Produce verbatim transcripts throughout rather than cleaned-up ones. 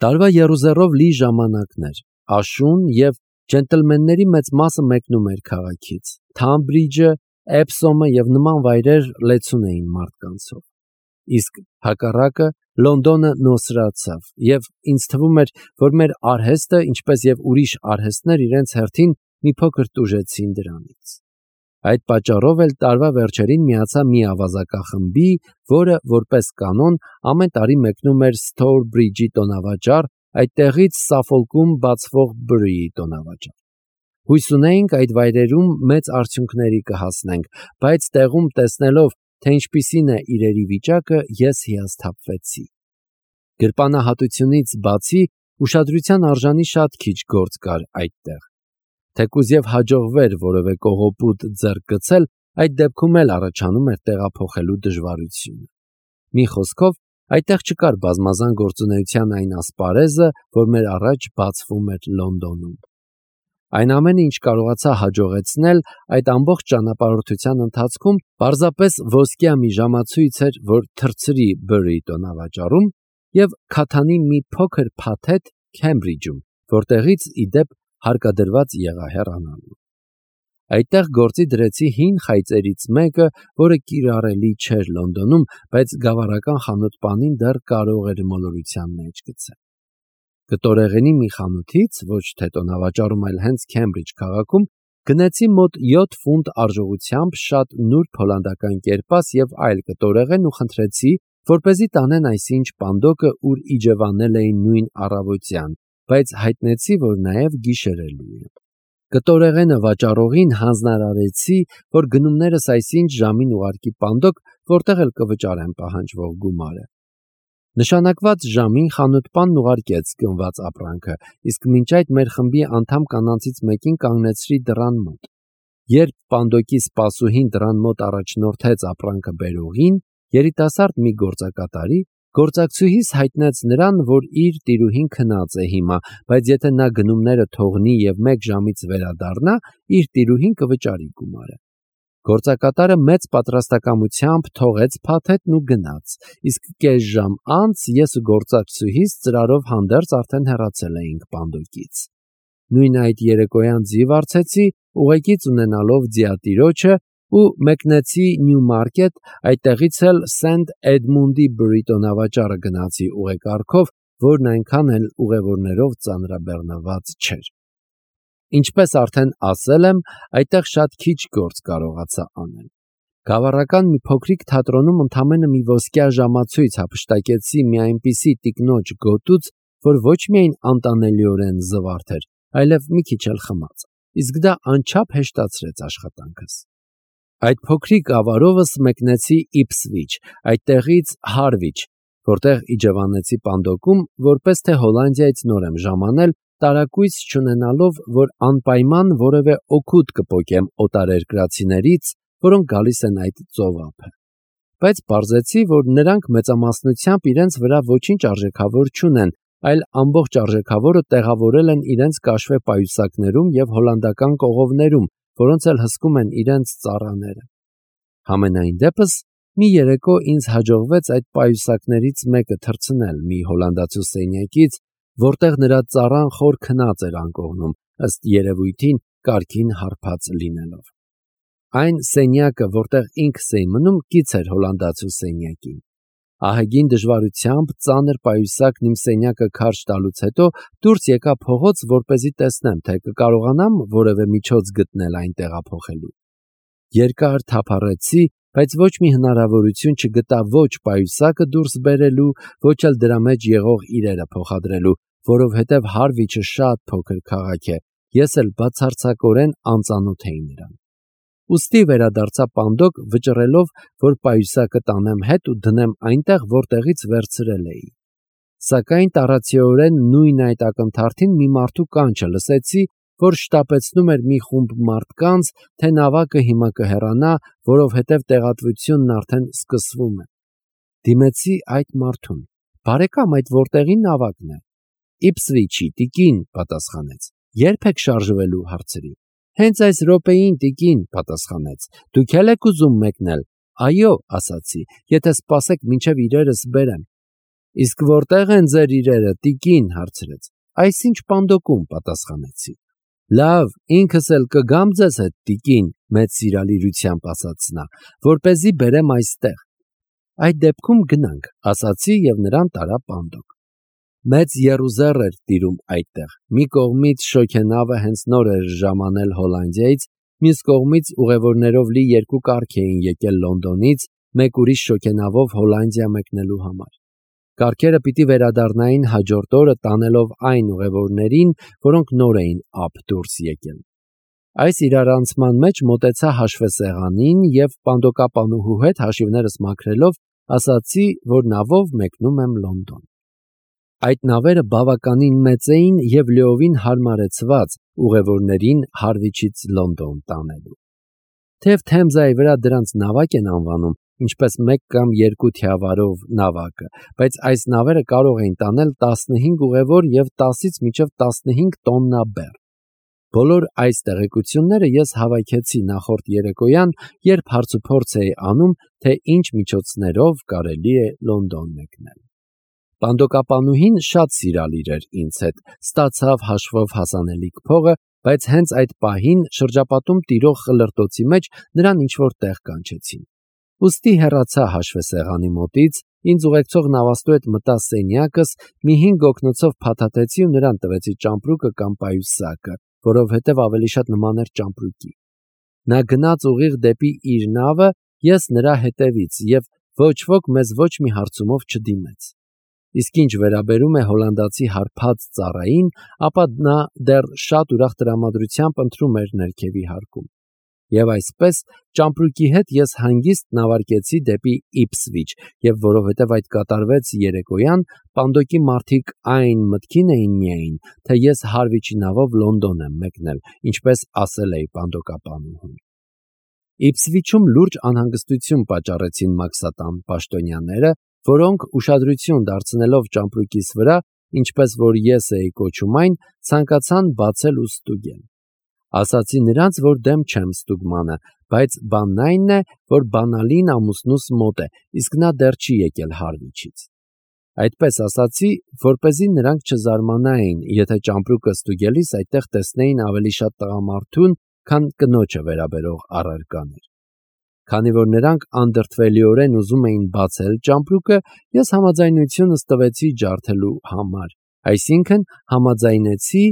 Տարվա եռուզեռով լի ժամանակներ, աշուն և ջենտլմենների մեծ մասը մեկնում էր քաղաքից։ Թամբրիջը, Էփսոմը և նման վայրեր լեցուն էին մարդկանցով։ Իսկ հակառակը Լոնդոնը նոսրացավ, և ինձ թվում էր, որ մեր արհեստը, ինչպես և ուրիշ արհեստներ, իրենց հերթին մի փոքր տուժեցին դրանից։ Այդ պատճառով էլ տարվա վերջերին միացա մի ավազակախմբի, որը, որպես կանոն, ամեն տարի մեկնում էր Սթոուրբրիջի տոնավաճառ, այդտեղից Սաֆոլկում բացվող Բըրիի տոնավաճառ։ Հույս ունեինք այդ վայրերում մեծ արդյունքների կհասնենք, բայց տեղում տեսնելով, թե ինչպիսին է իրերի վիճակը, ես հիասթափվեցի։ Գրպանահատությունից բացի ուշադրության արժանի շատ քիչ գործ կար այդտեղ։ Թեկուզ և հաջողվեր որևէ կողոպուտ ձեռք գցել, այդ դեպքում էլ առաջանում էր տեղափոխելու դժվարությունը։ Մի խոսքով, այդտեղ չկար բազմազան գործունեության այն ասպարեզը, որ մեր առաջ բացվում էր Լոնդոնում։ Այն ամենը, ինչ կարողացա հաջողեցնել այդ ամբողջ ճանապարհորդության ընթացքում, պարզապես ոսկյա մի ժամացույց էր, որ թռցրի Բըրիի տոնավաճառում և քաթանի մի փոքր փաթեթ Քեմբրիջում, որտեղից, ի դեպ, հարկադրված եղա հեռանալու։ Այդտեղ գործի դրեցի հին խայծերից մեկը, որը կիրառելի չէր Լոնդոնում, բայց գավառական խանութպանին դեռ կարող էր մոլորության մեջ գցել։ Կտորեղենի մի խանութից, ոչ թե տոնավաճառում, այլ հենց Քեմբրիջ քաղաքում, գնեցի մոտ յոթ ֆունտ արժողությամբ շատ նուրբ հոլանդական կերպաս և այլ կտորեղեն ու խնդրեցի, որպեսզի տանեն այսինչ պանդոկը, ուր իջևանել էին նույն առավոտյան, բայց հայտնեցի, որ նաև գիշերելու եմ։ Կտորեղենը վաճառողին հանձնարարեցի, որ գնումներս այսինչ ժամին ուղարկի պանդոկ, որտեղ էլ կվճարեմ պահանջվող գումարը։ Նշանակված ժամին խանութպանն ուղարկեց գնված ապրանքը, իսկ մինչ այդ մեր խմբի անդամ կանանցից մեկին կանգնեցրի դռան մոտ։ Երբ պանդոկի սպասուհին դռան մոտ առաջնորդեց ապրանքը բերողին, երիտասարդ մի գործակատարի, գործակցուհիս հայտնեց նրան, որ իր տիրուհին քնած է հիմա, բայց եթե նա գնումները թողնի և մեկ ժամից վերադառնա, իր տիրուհին կվճարի գումարը։ Գործակատարը մեծ պատրաստակամությամբ թողեց փաթեթն ու գնաց, իսկ կես ժամ անց ես ու գործակցուհիս ծրարով հանդերձ արդեն հեռացել էինք պանդոկից։ Նույն այդ երեկոյան ձիվ առցեցի, ուղեկից ունենալով ձիատիրոջը, ու մեկնեցի Նյումարկետ, այդտեղից էլ Սենթ Էդմունդի Բըրի տոնավաճառը գնացի ուղեկարգով, որն այնքան էլ ուղևորներով ծանրաբեռնված չէր։ Ինչպես արդեն ասել եմ, այդտեղ շատ քիչ գործ կարողացա անել։ Գավառական մի փոքրիկ թատրոնում ընդամենը մի ոսկյա ժամացույց հափշտակեցի մի այնպիսի տիկնոջ գոտուց, որ ոչ միայն անտանելիորեն զվարթ էր, այլև մի քիչ էլ խմած, իսկ դա անչափ հեշտացրեց աշխատանքս։ Այդ փոքրիկ ավարովս մեկնեցի Իփսվիչ, այդտեղից Հարվիչ, որտեղ իջևանեցի պանդոկում, որպես թե Հոլանդիայից նոր եմ ժամանել, տարակույս չունենալով, որ անպայման որևէ օգուտ կպոկեմ օտարերկրացիներից, որոնք գալիս են այդ ծովափը։ Բայց պարզեցի, որ նրանք մեծամասնությամբ իրենց վրա ոչինչ արժեքավոր չունեն, այլ ամբողջ արժեքավորը տեղավորել են իրենց կաշվե պայուսակներում և հոլանդական կողովներում, որոնց էլ հսկում են իրենց ծառաները։ Համենայն դեպս, մի երեկո ինձ հաջողվեց այդ պայուսակներից մեկը թռցնել մի հոլանդացու սենյակից, որտեղ նրա ծառան խոր քնած էր անկողնում, ըստ երևույթին կարգին հարբած լինելով։ Այն սենյակը, որտեղ ինքս էի մնում, կից էր հոլանդացու սենյակին։ Ահագին դժվարությամբ ծանր պայուսակն իմ սենյակը քարշ տալուց հետո դուրս եկա փողոց, որպեսզի տեսնեմ, թե կկարողանամ որևէ միջոց գտնել այն տեղափոխելու։ Երկար թափառեցի, բայց ոչ մի հնարավորություն չգտա ոչ պայուսակը դուրս բերելու, ոչ էլ դրա մեջ եղող իրերը փոխադրելու, որովհետև Հարվիչը շատ փոքր քաղաք է, ես էլ բացարձակորեն անծանոթ էի նրան։ Ուստի վերադարձա պանդոկ, վճռելով, որ պայուսակը տանեմ հետ ու դնեմ այնտեղ, որտեղից վերցրել էի։ Սակայն տառացիորեն նույն այդ ակնթարթին մի մարդու կանչը լսեցի, որ շտապեցնում էր մի խումբ մարդկանց, թե նավակը հիմա կհեռանա, որովհետև տեղատվությունն արդեն սկսվում է։ Դիմեցի այդ մարդուն. «Բարեկամ, այդ որտեղի նավակն է»։ «Իփսվիչի, տիկին», պատասխանեց։ «Ե՞րբ եք շարժվելու»։ հարցրի։ «Հենց այս րոպեին, տիկին», պատասխանեց։ «Դուք էլ եք ուզում մեկնել»։ «Այո», ասացի, «եթե սպասեք, մինչև իրերս բերեմ»։ Իսկ որտեղ են ձեր իրերը, տիկին, հարցրեց։ Այսինչ պանդոկում, պատասխանեցի։ Լավ, ինքս էլ կգամ ձեզ հետ, տիկին, մեծ սիրալիրությամբ ասաց նա, որպեսզի բերեմ այստեղ։ Այդ դեպքում գնանք, ասացի եւ նրան տարա պանդոկ։ Մեծ եռուզեռ էր տիրում այդտեղ։ Մի կողմից շոգենավը հենց նոր էր ժամանել Հոլանդիայից, մյուս կողմից ուղևորներով լի երկու կառք էին եկել Լոնդոնից, մեկ ուրիշ շոգենավով Հոլանդիա մեկնելու համար։ Կառքերը պիտի վերադառնային հաջորդ օրը տանելով այն ուղևորներին, որոնք նոր էին ափ դուրս եկել։ Այս իրարանցման մեջ մոտեցա հաշվեսեղանին եւ պանդոկապանուհու հետ հաշիվներս մաքրելով ասացի, որ նավով մեկնում եմ Լոնդոն։ Այդ նավերը բավականին մեծ էին եւ լիովին հարմարեցված ուղևորներին Հարվիչից Լոնդոն տանելու։ Թեև Թեմզայի վրա դրանց նավակ են անվանում, ինչպես մեկ կամ երկու թիավարով նավակը, բայց այս նավերը կարող էին տանել տասնհինգ ուղևոր եւ տասից մինչեւ տասնհինգ տոննա բեռ։ Բոլոր այս տեղեկությունները ես հավաքեցի նախորդ երեկոյան, երբ հարցուփորձ էի անում, թե ինչ միջոցներով կարելի է Լոնդոն մեկնել։ Պանդոկապանուհին շատ սիրալիր էր ինձ հետ, ստացավ հաշվով հասանելիք փողը, բայց հենց այդ պահին շրջապատում տիրող խլրտոցի մեջ նրան ինչ-որ տեղ կանչեցին։ Ուստի հեռացա հաշվեսեղանի մոտից, ինձ ուղեկցող նավաստու հետ մտա սենյակս, մի հինգ օգնոցով փաթաթեցի ու նրան տվեցի ճամպրուկը կամ պայուսակը, որովհետև ավելի շատ նման էր ճամպրուկի։ Նա գնաց ուղիղ դեպի իր նավը, ես նրա հետևից, եւ ոչ ոք մեզ ոչ մի հարցումով չդիմեց։ Իսկ ինչ վերաբերում է հոլանդացի հարբած ծառային, ապա նա դեռ շատ ուրախ տրամադրությամբ ընթրում էր ներքևի հարկում։ Եվ այսպես ճամպրուկի հետ ես հանգիստ նավարկեցի դեպի Իփսվիչ, եւ որովհետև այդ կատարվեց երեկոյան, պանդոկի մարդիկ այն մտքին էին միայն, թե ես Հարվիչի նավով Լոնդոն եմ մեկնել, ինչպես ասել էի պանդոկապանուհուն։ Իփսվիչում լուրջ անհանգստություն պատճառեցին մաքսատան պաշտոնյաները, որոնք ուշադրություն դարձնելով ճամպրուկիս վրա, ինչպես որ ես էի կոչում այն, ցանկացան բացել ու ստուգել։ Ասացի նրանց, որ դեմ չեմ ստուգմանը, բայց բանն այն է, որ բանալին ամուսնուս մոտ է, իսկ նա դեռ չի եկել Հարվիչից։ Այդպես ասացի, որպեսզի նրանք չզարմանային, եթե ճամպրուկը ստուգելիս այդտեղ տեսնեին ավելի շատ տղամարդուն, քան կնոջը վերաբերող առարկաներ։ Քանի որ նրանք անդրդվելիորեն ուզում էին բացել ճամպրուկը, ես համաձայնությունս տվեցի ջարդելու համար, այսինքն համաձայնեցի,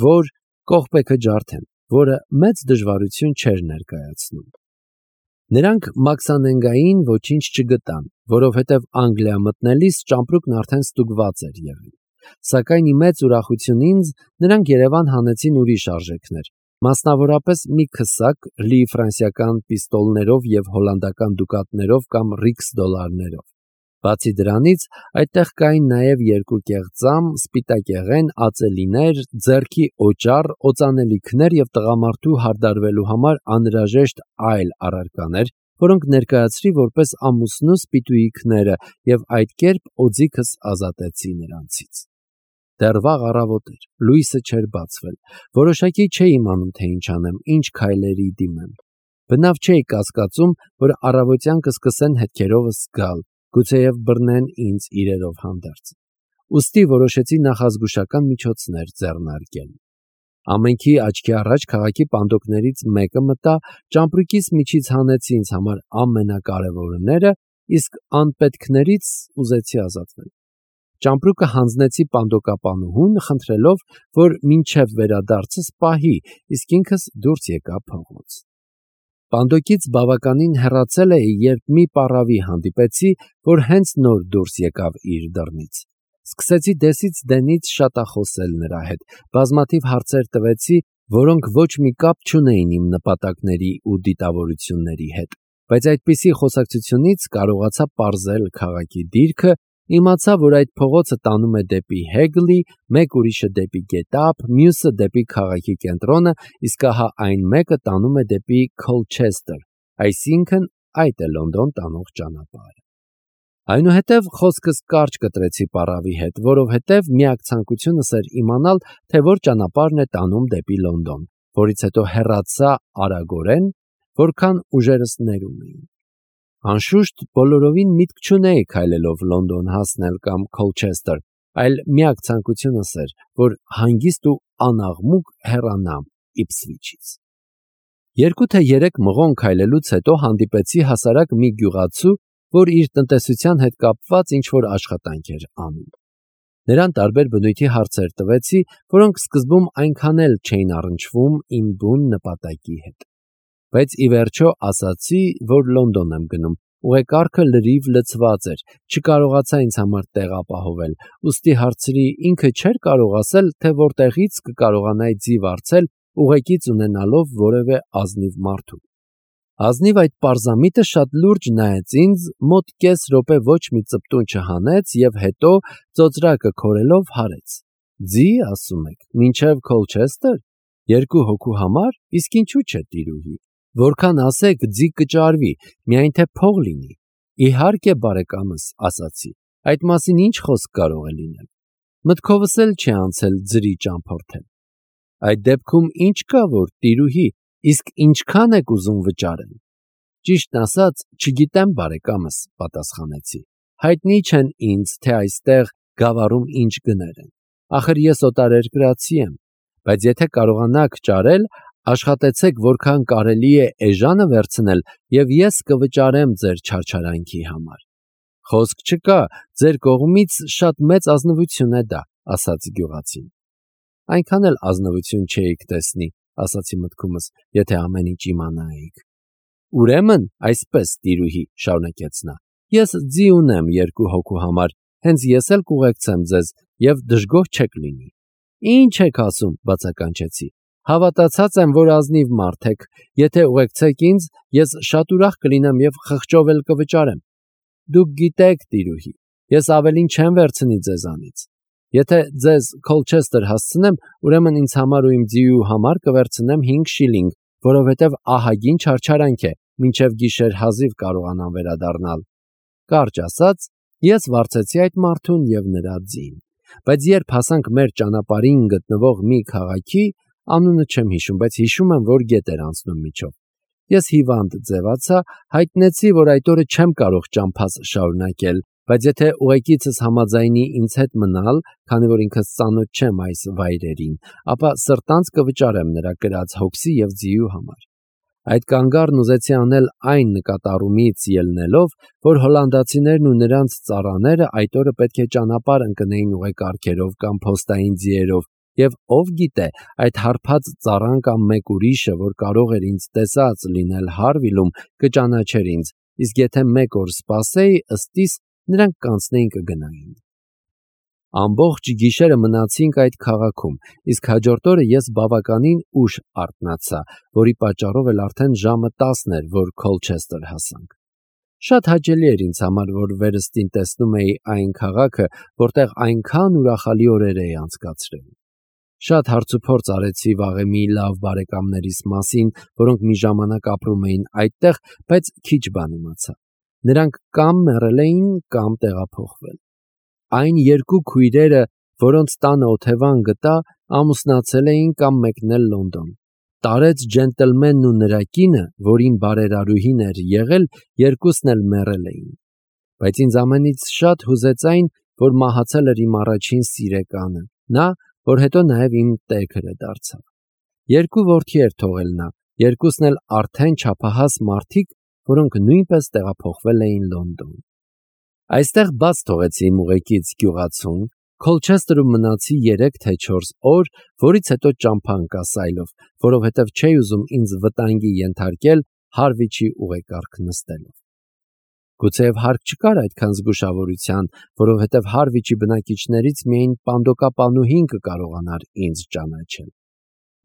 որ կողպեքը ջարդեն, որը մեծ դժվարություն չէր ներկայացնում։ Նրանք մաքսանենգային ոչինչ չգտան, որովհետև Անգլիա մտնելիս ճամպրուկն արդեն ստուգված էր եղել։ Սակայն իմեծ ուրախություն ինձ նրանք Երևան հանեցին ուրիշ արժեքներ, մասնավորապես մի քսակ լի ֆրանսիական պիստոլներով եւ հոլանդական դուկատներով կամ ռիքս դոլարներով։ Բացի դրանից, այդտեղ կային նաև երկու կեղծամ, սպիտակեղեն, ածելիներ, ձեռքի օճառ, օծանելիքներ եւ տղամարդու հարդարվելու համար անհրաժեշտ այլ առարկաներ, որոնք ներկայացրի որպես ամուսնուս պիտույիքները եւ այդ կերպ օձիքս ազատեցի նրանցից։ Դեռ վաղ առավոտ էր, լույսը չէր բացվել, որոշակի չէի իմանում, թե ինչ անեմ, ինչ քայլերի դիմեմ։ Բնավ չէի կասկածում, որ առավոտյան կսկսեն հետքերովս գալ, գուցեև բռնեն ինձ իրերով հանդերձ։ Ուստի որոշեցի նախազգուշական միջոցներ ձեռնարկել։ Ամենքի աչքի առաջ քաղաքի պանդոկներից մեկը մտա, ճամպրուկիս միջից հանեցի ինձ համար ամենակարևորները, իսկ անպետքներից ուզեցի ազատվել։ Ճամպրուկը հանձնեցի պանդոկապանուհուն, խնդրելով, որ մինչև վերադարձս պահի, իսկ ինքս դուրս եկա փողոց։ Պանդոկից բավականին հեռացել էի, երբ մի պառավի հանդիպեցի, որ հենց նոր դուրս եկավ իր դռնից։ Սկսեցի դեսից դենից շատախոսել նրա հետ, բազմաթիվ հարցեր տվեցի, որոնք ոչ մի կապ չունեին իմ նպատակների ու դիտավորությունների հետ, բայց այդպիսի խոսակցությունից կարողացա պարզել քաղաքի դիրքը, իմացա, որ այդ փողոցը տանում է դեպի Հեգլի, մեկ ուրիշը դեպի Գետափ, մյուսը դեպի քաղաքի կենտրոնը, իսկ ահա այն մեկը տանում է դեպի Քոլչեսթեր, այսինքն այդ է Լոնդոն տանող ճանապարհը։ Այնուհետև խոսքս կարճ կտրեցի պառավի հետ, որովհետև միակ ցանկությունս էր իմանալ, թե որ ճանապարհն է տանում դեպի Լոնդոն, որից հետո հեռացա արագորեն, որքան ուժերս ներում էին։ Անշուշտ բոլորովին միտք չունեի քայլելով Լոնդոն հասնել կամ Քոլչեսթեր, այլ միակ ցանկությունս էր, որ հանգիստ ու անաղմուկ հեռանամ Իփսվիչից։ Երկու թե երեք մղոն քայլելուց հետո հանդիպեցի հասարակ մի գյուղացու, որ իր տնտեսության հետ կապված ինչ-որ աշխատանք էր անում։ Նրան տարբեր բնույթի հարցեր տվեցի, որոնք սկզբում այնքան էլ չէին առնչվում իմ բուն նպատակի հետ։ Բայց ի վերջո ասացի, որ Լոնդոն եմ գնում, ուղեկարգը լրիվ լցված էր, չկարողացա ինձ համար տեղ ապահովել, ուստի հարցրի ինքը չէր կարող ասել, թե որտեղից կկարողանայի ձի վարձել ուղեկից ունենալով որևէ ազնիվ մարդու։ Ազնիվ այդ պարզամիտը շատ լուրջ նայեց ինձ, մոտ կես րոպե ոչ մի ծպտուն չհանեց և հետո ծոծրակը քորելով հարեց։ Ձի, ասում եք, մինչև Քոլչեսթեր, երկու հոգու համար, իսկ ինչու՞ չէ տիրուհի, որքան ասեք ձի կճարվի, միայն թե փող լինի։ Իհարկե բարեկամս, ասացի, այդ մասին ինչ խոսք կարող է լինել։ Մտքովս էլ չի անցել ձրի ճամփորդել։ Այդ դեպքում ինչ կա, որ տիրուհի, իսկ ինչքան եք ուզում վճարել։ Ճիշտն ասած, չգիտեմ բարեկամս, պատասխանեցի։ Հայտնի չեն ինձ, թե այստեղ գավառում ինչ գներ են։ Ախր ես օտարերկրացի եմ, բայց եթե կարողանաք ճարել, աշխատեցեք որքան կարելի է էժանը վերցնել և ես կվճարեմ ձեր չարչարանքի համար։ Խոսք չկա, ձեր կողմից շատ մեծ ազնվություն է դա, ասաց գյուղացին։ Այնքան էլ ազնվություն չէիք տեսնի, ասացի մտքումս, եթե ամեն ինչ իմանայիք։ Ուրեմն, այսպես տիրուհի, շարունակեց նա, ես ձի ունեմ երկու հոգու համար, հենց ես էլ կուղեկցեմ ձեզ և դժգոհ չեք լինի։ Ինչ եք ասում, բացականչեցի, հավատացած եմ, որ ազնիվ մարդ եք, եթե ուղեկցեք ինձ, ես շատ ուրախ կլինեմ և խղճով էլ կվճարեմ։ Դուք գիտեք, տիրուհի, ես ավելին չեմ վերցնի ձեզանից։ Եթե ձեզ Քոլչեսթեր հասցնեմ, ուրեմն ինձ համար ու իմ ձիու համար կվերցնեմ հինգ շիլինգ, որովհետև ահագին չարչարանք է, մինչև գիշեր հազիվ կարողանամ վերադառնալ։ Կարճ ասած, ես վարձեցի այդ մարդուն և նրա ձին, բայց երբ հասանք մեր ճանապարհին գտնվող մի քաղաքի, անունը չեմ հիշում, բայց հիշում եմ, որ գետ էր անցնում միջով, ես հիվանդ ձևացա, հայտնեցի, որ այդ օրը չեմ կարող ճամփաս շարունակել, բայց եթե ուղեկիցս համաձայնի ինձ հետ մնալ, քանի որ ինքս ծանոթ չեմ այս վայրերին, ապա սրտանց կվճարեմ նրա կրած հոգսի և ձիու համար։ Այդ կանգառն ուզեցի անել այն նկատառումից ելնելով, որ հոլանդացիներն ու նրանց ծառաները այդ օրը պետք է ճանապարհ ընկնեին ուղեկարգերով կամ փոստային ձիերով, և ով գիտե, այդ հարբած ծառան կամ մեկ ուրիշը, որ կարող էր ինձ տեսած լինել Հարվիլում, կճանաչեր ինձ, իսկ եթե մեկ օր սպասեի, ըստիս նրանք կանցնեին կգնային։ Ամբողջ գիշերը մնացինք այդ քաղաքում, իսկ հաջորդ օրը ես բավականին ուշ արթնացա, որի պատճառով էլ արդեն ժամը տասն էր, որ Քոլչեսթեր հասանք։ Շատ հաճելի էր ինձ համար, որ վերստին տեսնում էի այն քաղաքը, որտեղ այնքան ուրախալի օրեր էի անցկացրել։ Շատ հարցուփորձ արեցի վաղեմի լավ բարեկամներիս մասին, որոնք մի ժամանակ ապրում էին այդտեղ, բայց քիչ բան իմացա։ Նրանք կամ մեռել էին, կամ տեղափոխվել։ Այն երկու քույրերը, որոնց տանը օթևան գտա, ամուսնացել էին կամ մեկնել Լոնդոն։ Տարեց ջենտլմենն ու նրա կինը, որին բարերարուհին էր եղել, երկուսն էլ մեռել էին։ Բայց ինձ ամենից շատ հուզեց այն, որ մահացել էր իմ առաջին սիրեկանը, նա, որ հետո նաև իմ տեքրը դարձավ։ Երկու որդի էր թողել նա, երկուսն էլ արդեն չափահաս մարդիկ, որոնք նույնպես տեղափոխվել էին Լոնդոն։ Այստեղ բաց թողեցի իմ ուղեկից գյուղացուն, Քոլչեսթերում մնացի երեք թե չորս օր, որից հետո ճամփա ընկա սայլով, որովհետև չէի ուզում ինձ վտանգի ենթարկել Հարվիչի ուղեկարգ նստելով։ Գուցեև հարկ չկար այդքան զգուշավորության, որովհետև Հարվիչի բնակիչներից միայն պանդոկապանուհին կկարողանար ինձ ճանաչել։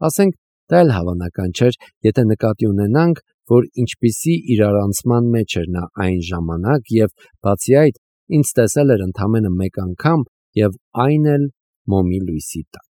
Ասենք, դա էլ հավանական չէր, եթե նկատի ունենանք, որ ինչպիսի իրարանցման մեջ էր նա այն ժամանակ և, բացի այդ, ինձ տեսել էր ընդամենը մեկ անգամ և այն էլ մոմի լույսի տակ։